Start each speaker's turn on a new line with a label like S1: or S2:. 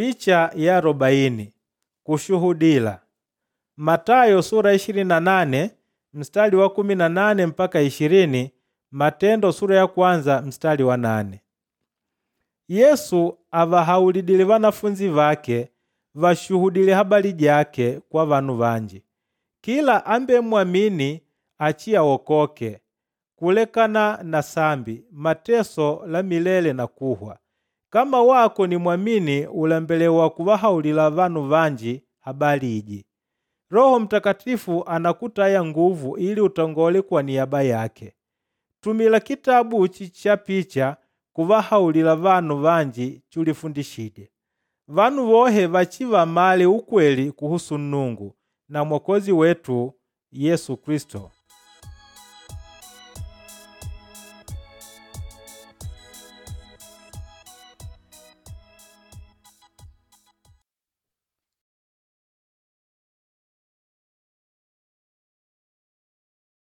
S1: Picha ya 40 kushuhudila. Matayo sura 28 mstari wa 18 mpaka 20, Matendo sura ya kwanza mstari wa 8. Yesu avahaulidile vanafunzi vake vashuhudile habari jake kwa vanu vanji. Kila ambemwamini achiawokoke kulekana na sambi, mateso la milele na kuhwa. Kama wako ni mwamini ulembelewa kuvahaulila vanu vanji habari iji. Roho Mtakatifu anakutaya nguvu ili utongole kwa niaba yake. Tumila kitabu uchi cha picha kuvahaulila vanu vanji chulifundishije. Vanu vohe vachivamale ukweli kuhusu Nnungu na Mwokozi wetu Yesu Kristo.